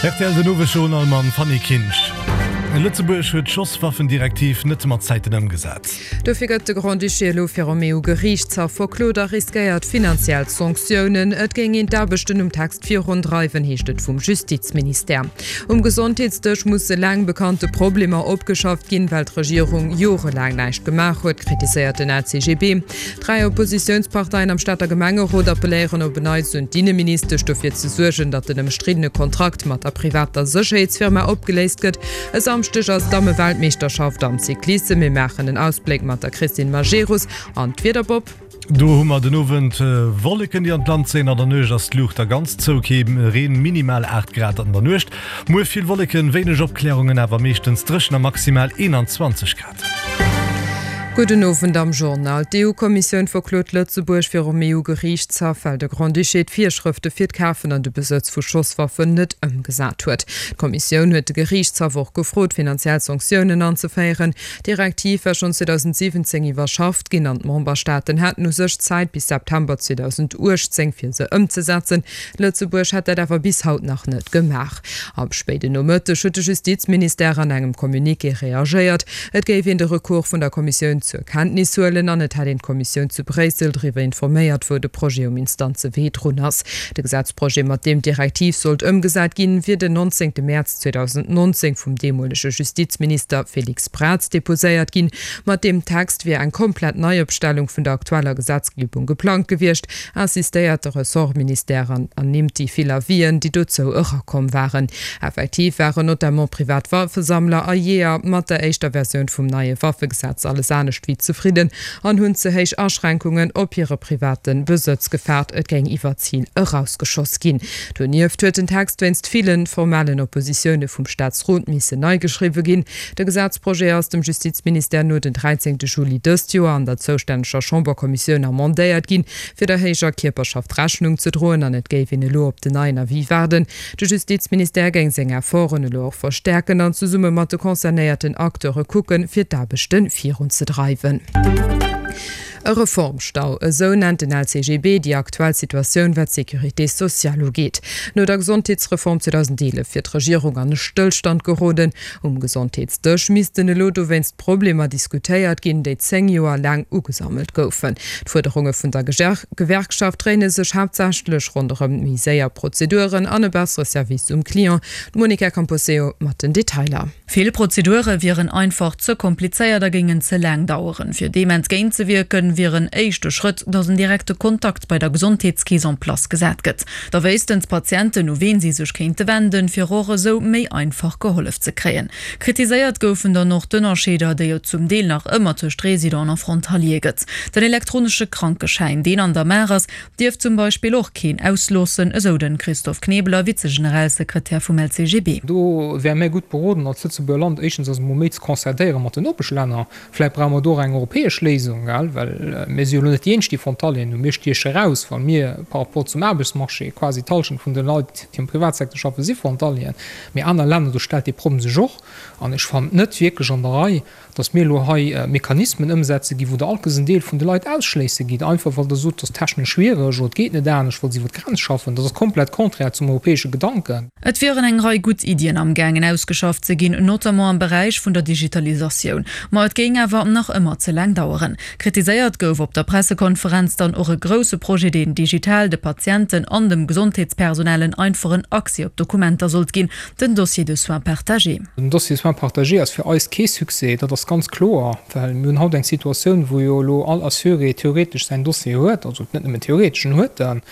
Rtl Den Owesjournal mam Fanny Kinsch. Lëtzebuerg huet d'Schosswaffendirektiv net mat Zäiten ëmgesat. Dofir gëtt de Grand-Duché elo virum EU-Geriichtshaff verklot a riskéiert finanziell Sanktiounen. Et géing een d'Aarbechten um Text virundreiwen, heescht et vum Justizministère. Um Gesondheetsdësch musse laang bekannte Problemer opgeschafft ginn, well d'Regierung jorelaang näischt gemaach huet, kritiséiert den LCGB. Dräi Oppositiounsparteien am Stater Gemengerot appelléieren op en Neits un d'Inneministesch, dofir ze suergen, datt den ëmstriddene Kontrakt mat der privater Sécherheetsfirma opgeléist gëtt. E Samschdeg ass d'Damme-Weltmeeschterschaft am Cyclissem. Mir maachen en Ausbléck mat der Christine Majerus an d'Wiederbob. Do hu mer den Owend Wolleken, déi an d'Land zéien. An der Nuecht ass d'Luucht da ganz zou, kee Reen, minimal 8 Grad an der Nuecht. Muer vill Wolleken, wéineg Opklärungen, awer meeschtens dréchen a maximal 21 Grad. Gudden Owend am Journal. D'EU-Kommissioun verklot Lëtzebuerg virum EU-Geriichtshaff, well de Grand-Duché d'Virschrëfte fir d'Kafen an de Besëtz vu Schosswaffen net ëmgesat huet. D'Kommissioun huet de Geriichtshaff och gefrot, finanziell Sanktiounen anzeféieren. D'Direktiv war schonn 2017 iwwerschafft ginn an d'Memberstaaten haten u sech Zäit bis September 2018, fir se ëmzesetzen. Lëtzebuerg hätt dat awer bis haut nach net gemaach. Am spéiden Nomëtteg huet de Justizministère an engem Communiqué reagéiert. Et géif een de Recours vun der Kommissioun zur Kenntnis huelen an et hätt een d'Kommissioun zu Bréissel driwwer informéiert, wou de Projet um Instanzewee drun ass. De Gesetzprojet, mat deem d'Direktiv sollt ëmgesat ginn, wier den 19 Mäerz 2019 vum deemolege Justizminister Félix Braz deposéiert ginn. Mat deem Text wier eng komplett Neiopstellung vun der aktueller Gesetzgebung geplangt gewiescht. Insistéiert de Ressortministère an ernimmt déi vill Avisen, déi dozou erakomm waren. Effektiv waren notamment privat Waffesammler a Jeeër mat der éischter Versioun vum neie Waffegesetz alles anescht wéi zefridden an hunn ze héich Aschränkungen op hire private Besëtz gefaart, et géing iwwer d'Zil erausgeschoss ginn. Donieft huet den Text wéinst ville formellen Oppositioune vum Staatsrot missen nei geschriwwe ginn. De Gesetzprojet ass dem Justizministère no den 13 Juli dëst Joer an der zoustänneger Chamberkommissioun amendéiert ginn, fir der héijer Kierperschaft Rechnung ze droen an et géif een elo op den neien Avis waarden. De Justizministère géing seng Efforten elo och verstäerken an zesumme mat de concernéierten Acteure kucken, fir d'Aarbechte virunzedreiwen. E Reformstau, esou nennt den LCGB déi aktuell Situatioun, wat d'Sécurité sociale ugeet. No der Gesondheetsreform 2011 wier d'Regierung an e Stëllstand geroden. Um Gesondheetsdësch missten elo dowéinst d'Problemer diskutéiert ginn, déi 10 Joer laang ugesammelt goufen. D'Fuerderunge vun der Gewerkschaft dréine sech haaptsächlech ronderëm méi séier Prozeduren an e bessere Service um Client. D'Monica Camposeo mat den Detailer. Vill Prozedure wieren einfach ze komplizéiert a géingen ze laang daueren. Fir deem entgéintzewierken, wier en éischte Schrëtt, datt en direkte Kontakt bei der Gesondheetskeess en place gesat gëtt. Da wéissten d'Patienten, u ween si sech kéinte wenden, fir och esou méi einfach gehollef ze kréien. Kritiséiert goufen dann och d'Ënnerscheeder, déi et zum Deel nach ëmmer tëscht Resident a Frontalier gëtt. Den elektronesche Krankeschäin, deen an der Maach ass, dierft zum Beispill och keen ausloossen, esou de Christophe Knebeler, Vize-Generalsekretär vum LCGB. Do wäre mär gutt beroden als Lëtzebuerger Land, éischtens eis emol méi ze concertéiere mat den Nopeschlänner. Vläicht brauche mer do och eng europäesch Léisung, gell, well mir si jo elo net déi eenzeg, déi Frontalieren hunn. Mir stieche raus, well mir par rapport zum Aarbechtsmarché quasi d'Hallschent vun de Leit, déi am Privatsecteur schaffen, si Frontalieren. Mee aner Länner, do stellt dee Problem sech och. An ech fannen et net wierklech an der Rei, dass mir elo hei Mechanismen ëmsetze ginn, wou Der alt en Deel vun de Leit ausschléisse gitt, einfach well Der sot, et ass technesch schwiereg oder et geet net anescht, well se iwwer d'Grenz schaffen. Dat ass komplett contraire zum europäesche Gedanken. Et wieren eng Rei gutt Iddien amgaangen ausgeschafft ze ginn, notamment am Beräich vun der Digitalisatioun. Ma et géing awer nach ëmmer ze laang daueren. Kritiséiert gouf op der Pressekonferenz dann och e grousse Projet, deen digital de Patienten an dem Gesondheetspersonal en einfachen Accès op d'Dokumenter sollt ginn, Den Dossier de soins partagé. Den Dossier de soins partagé ass fir eis kee Succès, dat ass ganz kloer, well mir hunn haut eng Situatioun, wou jo elo all Assuré theoretesch säin Dossier huet, also net nëmmen theoretesch, en huet en.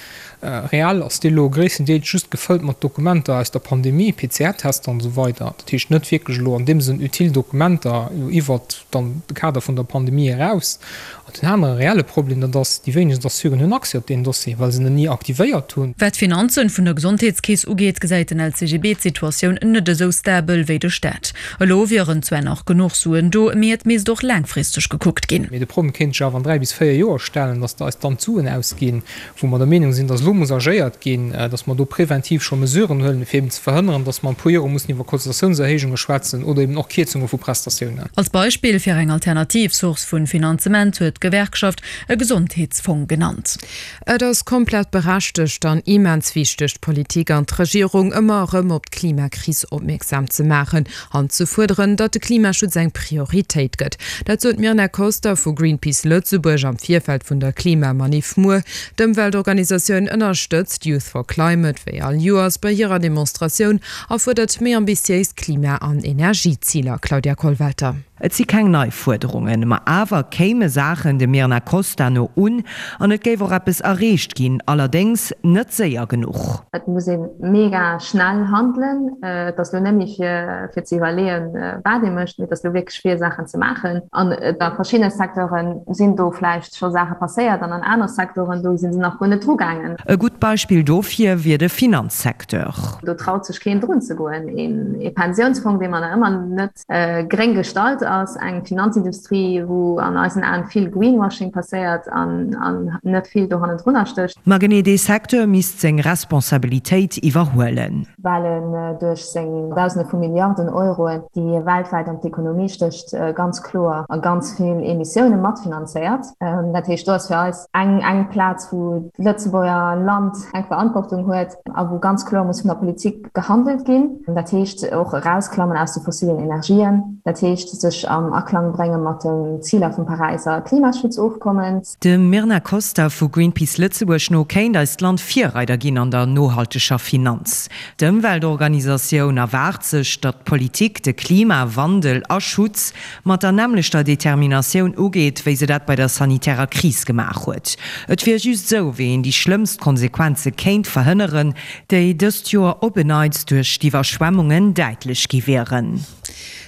Reell ass dee elo gréisstendeels just gefëllt mat Dokumenter aus der Pandemie, PCR-Tester an esou weider. Dat heescht net wierklech elo an deem Sënn utile Dokumenter elo iwwert dann de Kader vun der Pandemie eraus. An den anere reelle Problem, dat ass, déi wéinegst Assuren hunn Accès op deen Dossier, well se en ni aktivéiert hunn. Wat d'Finanzen vun der Gesondheetskeess ugeet, gesäit den LCGB d'Situatioun net esou stabel wéi de Staat. Elo wieren zwar nach genuch Suen do, mee et misst och laangfristeg gekuckt ginn. Mee de Problem kéint sech awer an 3 bis 4 Joer stellen, datt eis dann d'Suen ausginn, wou mer der Meenung sinn, datt elo. do muss agéiert ginn, datt mer do preventiv scho Mesuren huelen, fir eben ze verhënneren, datt mer an e puer Jore mussen iwwer Cotisatiounserhéijunge schwätzen oder eben och Kierzunge vu Prestatiounen. Als Beispill fir eng alternativ Source vun Finanzement huet d'Gewerkschaft e Gesondheetsfong genannt. Et ass komplett berechtegt an immens wichteg, d'Politik an d'Regierung ëmmer erëm op d'Klimakris opmierksam ze maachen an ze fuerderen, datt de Klimaschutz eng Prioritéit gëtt. Dat sot d'Myrna Koster vu Greenpeace Lëtzebuerg am Virfeld vun der Klimamaniff muer. D'Ëmweltorganisatioun ënnerstëtzt Youth for Climate wéi all Joers bei hirer Demonstratioun a fuerdert méi ambitiéis Klima an Energieziler. Claudia Kollwelter. Et si keng nei Fuerderungen, ma awer kéime Saachen dem Myrna Costa no un an et géif och eppes erreecht ginn, allerdéngs net séier genuch. Et muss ee mega schnell handelen. Et ass elo net méi fir fir ze iwwerleeën, wat ee mécht, mee et ass elo wierklech fir Saachen ze maachen. An a verschiddene Secteure sinn do vläicht scho Saache passéiert an an aner Secteuren, do si se nach guer net drugaangen. E gutt Beispill dofir wier de Finanzsecteur. Do traut sech keen drun ze goen. Ee Pensiounsfong, dee mer nach ëmmer net Gréng gestalt ass eng Finanzindustrie, wou an eisen Aen vill Greenwashing passéiert an net vill do hannendrunner stécht. Ma genee dee Secteur misst seng Responsabilitéit iwwerhuelen. Well en duerch seng Dausende vu Milliarden Euroen, déi e weltwäit an d'Ekonomie stécht, ganz kloer a ganz vill Emissioune matfinanzéiert. Dat heescht, do ass fir eis eng Plaz, wou d'Lëtzebuerger Land eng Verantwortung huet a wou ganz kloer muss vun der Politik gehandelt ginn. Dat heescht och erausklammen aus de fossilen Energien. Dat heescht sech am Aklang brénge mat den Ziler vum Paräiser Klimaschutzofkommens. Dem Myrna Koster vu Greenpeace Lëtzebuerg no kéint eist Land Virreider ginn an der nohalteger Finanz. D'Ëmweltorganisatioun erwaart sech, datt d'Politik de Klimawandel a Schutz mat der nämmlechter Determinatioun ugeet, wéi se dat bei der sanitärer Kris gemaach huet. Et wier just esou, wéi een déi schlëmmst Konsequenze kéint verhënneren, déi dëst Joer op en Neits duerch d'Iwwerschwemmungen däitlech gi wieren.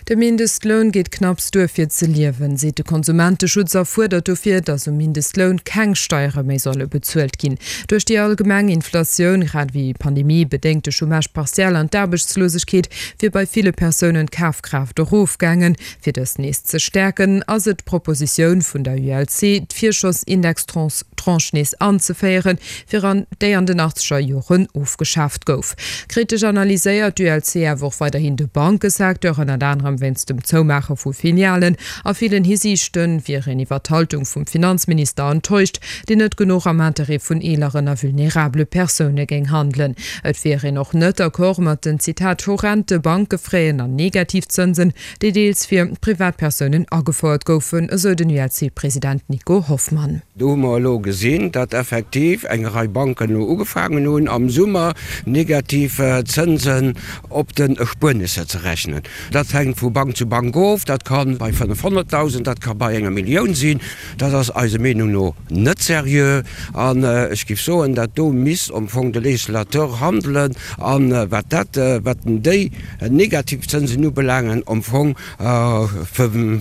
De Mindestloun geet knapps duer fir ze liewen, seet de Konsumenteschutz a fuerdert dofir, datt um Mindestloun keng Steiere méi solle bezuelt ginn. Duerch déi allgemeng Inflatioun, grad ewéi Pandemie-bedéngte Chômage partiel an d'Aarbechtslosegkeet wier bei ville Persounen d'Kafkraaft erofgaangen. Fir dës nees ze stäerken, ass et d'Propositioun vun der ULC, d'Virschossindex-Tranche nees anzeféieren, fir an déi an den achtzeger Joren ofgeschaaft gouf. Kritesch analyséiert d'ULC awer och weiderhin de Bankesecteur, ënnert anerem wéinst dem Zoumaache vu Filialen. A villen Hisiichte wier een iwwer d'Haltung vum Finanzminister enttäuscht, deen net genuch am Interêt vun eeleren a vulnerabele Persoune géing handelen. Et wier een och net d'accord mat den, Zitat, horrente Bankefraisen an Negativzënsen, déi deels fir Privatpersounen agefouert goufen, esou den ULC-President Nico Hoffmann. Do hu mer elo gesinn, datt effektiv eng Rei Banken elo ugefaangen hunn, am Summer negativ Zënsen op den Erspuernisser ze rechnen. Dat hänkt vu Bank zu Bank of. Dat ka bei 500.000, dat ka bei enger Millioun sinn. Dat ass eiser Meenung no net seriö. An ech géif soen, dat do misst am Fong de Législateur handelen an wat dat, wat déi negativ Zënsen ubelaangen, am Fong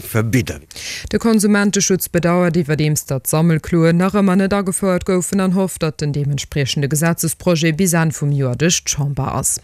verbidden. De Konsumenteschutz bedauert iwwerdeems, datt d'Sammelkloen nach ëmmer net agefouert goufen an hofft, datt den deementspriechende Gesetzesprojet bis Enn vum Joer duerch d'Chamber ass.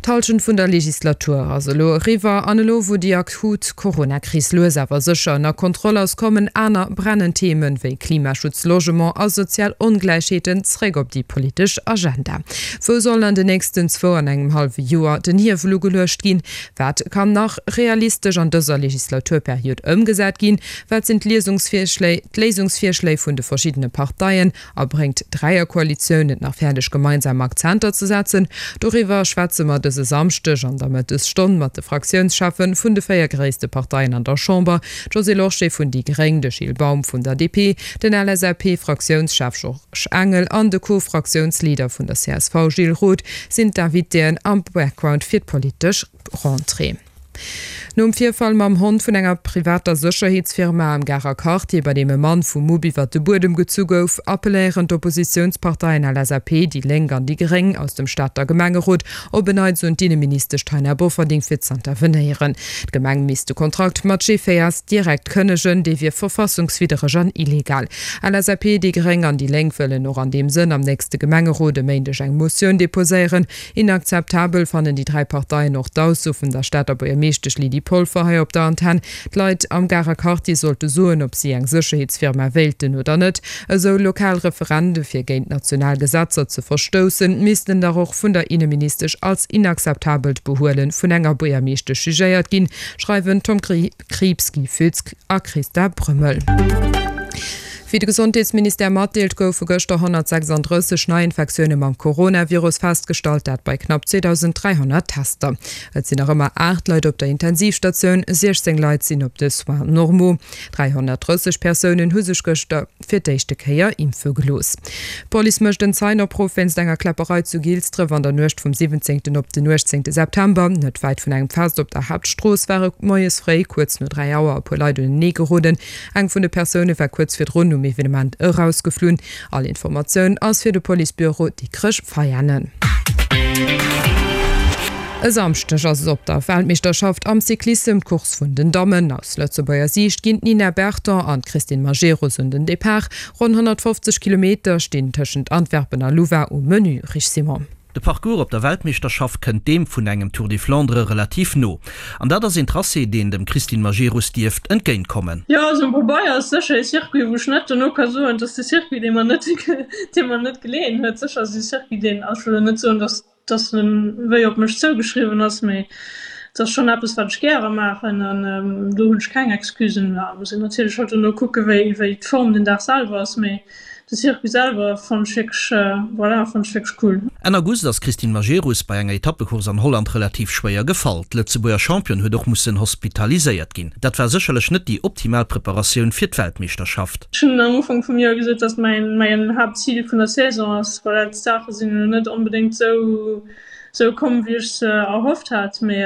D'Hallschent vun der Legislatur ass elo eriwwer an elo wou déi akut Coronakris lues awer sécher ënner Kontroll ass, kommen aner brennend Themen wéi Klimaschutz, Logement a sozial Ongläichheeten zréck op déi politesch Agenda. Wou soll an den nächsten zwou an engem hallwe Joer den Hiewel ugeluecht ginn? Wat kann nach realistesch an dëser Legislaturperiod ëmgesat ginn? Wat sinn d'Léisungsvirschléi vun de verschiddene Parteien? A bréngt d'Dräierkoalitioun et nach fäerdeg gemeinsam Akzenter ze setzen? Doriwwer schwätze mer dëse Samschdeg an der Mëttesstonn mat de Fraktiounscheffe vun de 4 gréisste Parteien an der Chamber, d'Josée Lorsché vun déi gréng, de Gilles Baum vun der DP, den LSAP-Fraktiounschef Georges Engel an de Co-Fraktiounsleader vun der csv Gilles Roth sinn d'Invitéen am Background fir d'politesch Rentrée. Nom Virfall mam Hond vun enger privater Sécherheetsfirma am Garer Quartier, bei deem e Mann vum Mupp iwwert de Buedem gezu gouf, appelléieren d'Oppositiounsparteien LSAP, déi Lénk an déi Gréng aus dem Stater Gemengerot op en Neits un d'Inneministesch Taina Bofferding fir z'intervenéieren. D'Gemeng misst de Kontrakt mat GVS direkt kënnegen, dee wier verfassungswiddereg an illegal. LSAP, déi Gréng an déi Lénk wëllen och an deem Sënn am nächste Gemengerot e Méindeg eng Motioun deposéieren. Inakzeptabel fannen déi 3 Parteien och d'Ausso vun der Stater Buergermeeschtesch. Buergermeeschtesch Lydie Polfer hei op der Antenn. D'Leit am Garer Quartier sollte soen, ob si eng Sécherheetsfirma wéilten oder net. Esou lokal Referende fir géint national Gesetzer ze verstoussen, missten dach och vun der Inneministesch als inakzeptabelt Behuele vun enger Buergermeeschtesch jugéiert ginn, schreiwen Tom Krieps, Guy Foetz a Christa Brömmel. Wéi de Gesondheetsministère matdeelt, goufe gëschter 136 Neiinfektioune mam Coronavirus festgestallt, dat bei knapp 2.300 Tester. Et sinn nach ëmmer 8 Leit op der Intensivstatioun, 16 Leit sinn op de Soins normaux. 330 Persounen hu sech gëschter fir d'éischte Kéier impfe gelooss. D'Police mécht en Zeienopruff wéinst enger Kläpperei zu Gilsdref an der Nuecht vum 17 op den 18 September. Net wäit vun engem Fest op der Haaptstrooss ware moies fréi kuerz no 3 Auer e puer Leit unenee geroden. Eng vun de Persoune war kuerz virdrun um Evenement erausgeflunn. All Informatioun ass fir de Policebüro Dikrech-Veianen. E Samschdeg ass et op der Weltmeeschterschaft am Cyclissem d'Course vun den Dammen. Aus Lëtzebuerger Siicht ginn d'Nina Berton an d'Christine Majerus un den Depart. Ronn 150 Kilometer stinn tëschent Antwerpen a Louvain um Menü. Rich Simon. De Parcours op der Weltmeeschterschaft kënnt deem vun engem Tour des Flandres relativ no. An dat ass een Tracé, deen dem Christine Majerus dierft entgéint kommen. Jo, also um Pabeier ass sécher ee Circuit, wou ech net dono ka soen, et ass de Circuit, dee mer net, dee mer net geleeën huet. Sécher ass et e Circuit, deen, also ech wëll elo net soen, datt dass en wéi op mech zougeschriwwen ass, mee et ass schonn eppes wat ech gäre maachen an do hunn ech keng Excusen. Ja muss een natierlech halt dono kucke wéi wéi d'Form den Dag selwer ass, mee de Circuit selwer fannen ech wierklech, voilà, fannen ech wierklech cool. Enn August ass d'Christine Majerus bei enger Etappecourse an Holland relativ schwéier gefall. D'Lëtzebuerger Championne huet och mussen hospitaliséiert ginn. Dat war sécherlech net déi optimal Preparatioun fir d'Weltmeeschterschaft. Ech hunn am Ufank vum Joer gesot, dass mäin mäin Haaptzil vun der Saison ass. Voilà, d'Saache sinn elo net onbedéngt esou esou komm, wéi ech se erhofft hat, mee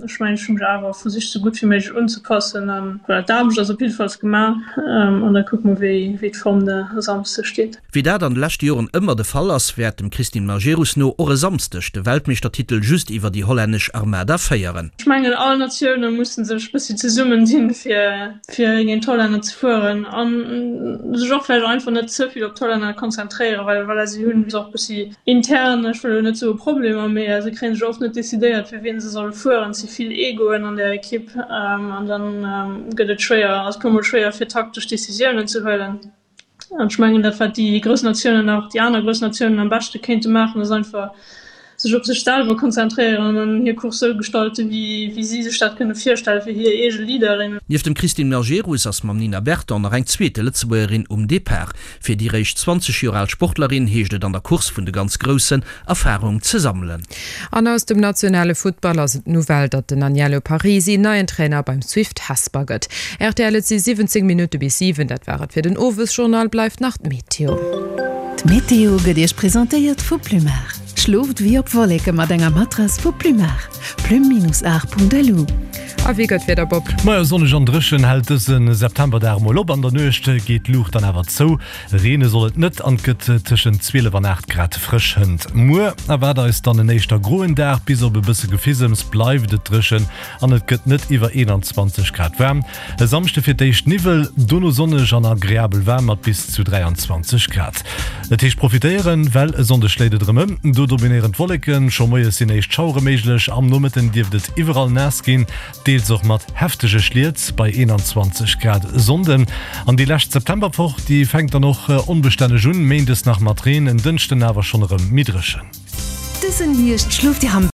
ech mengen, ech hu mech awer versicht, esou gutt wéi méiglech unzepassen an voilà, d'Aarbecht ass op jiddefalls gemaach an da kucke mer, wéi wéi d'Form de Samsde steet. Wéi dat an de leschte Joren ëmmer de Fall ass, wäert dem Christine Majerus no och e Samsdeg de Weltmeeschtertitel just iwwer déi hollännesch Armada féieren. Ech mengen, all Natioune musse sech bëssi zesummendinn, fir fir géint d'Hollänner ze fueren an sech och vläicht einfach net ze vill op d'Hollänner konzentréieren, well voilà, si hunn och bëssi intern, ech wëll elo net soe Problemer, mee se kréie sech oft net decidéiert fir wien se solle fueren. Et si vill Egoen an där Ekipp an dann gëtt et schwéier, ass et puer mol schwéier fir taktesch Decisiounen ze huelen. An ech mengen, dat wat déi grouss Natiounen, och déi aner grouss Natiounen am beschte kéinte maachen, ass einfach sech op sech selwer konzentréieren an hir Course sou gestalten, wéi wéi si sech dat kënne virstellen, fir hir eege Leaderin. Nieft dem Christine Majerus ass mam Nina Berton nach eng zweete Lëtzebuergerin um Depart. Fir déi réischt 20 Joer al Sportlerin heescht et an der Course vun de ganz Groussen Erfarung ze sammelen. An aus dem nationale Futtball ass et d'Nouvelle, datt den Aniello Parisi neien Trainer beim Swift Hesper gëtt. Rtl, Et si 17 Minutte bis 7, dat war et fir den Owesjournal. Bleift nach d'Meteo. D'Meteo gëtt Iech presentéiert vu Plumar. Schlooft wéi op Wolleke mat enger Matrass vu Plumar. Plume-art.lu. A wéi gëtt d'Wieder, Bob? Majo, sonneg an dréchen hält dëse Septemberdag mol op. An der Nuecht geet d'Luucht dann awer zou. Reene soll et net an et gëtt tëschent 12 an 8 Grad frësch. Hënt muer erwaart eis dann en éischter groen Dag, bis op e bësse Gefisems bleift et dréchen an et gëtt net iwwer 21 Grad waarm. E Samschde fir d'éischt Niwwel, dono sonneg an agreabel waarm mat bis zu 23 Grad. Et heescht profitéieren, well e Sonndeg schléit et erëm ëm. Do dominéieren d'Wolleken, scho moies sinn éischt Schauere méiglech, am Nomëtten dierft et iwwerall naass ginn. Deels och mat heftege Schliet bei 21 Grad e Sonnden. An déi lescht Septemberwoch, déi fänkt dann och onbestänneg un, méindes nach mat Reen, en Dënschden awer schonn erëm méi dréchen. Dësen Hierscht schlooft Dir am.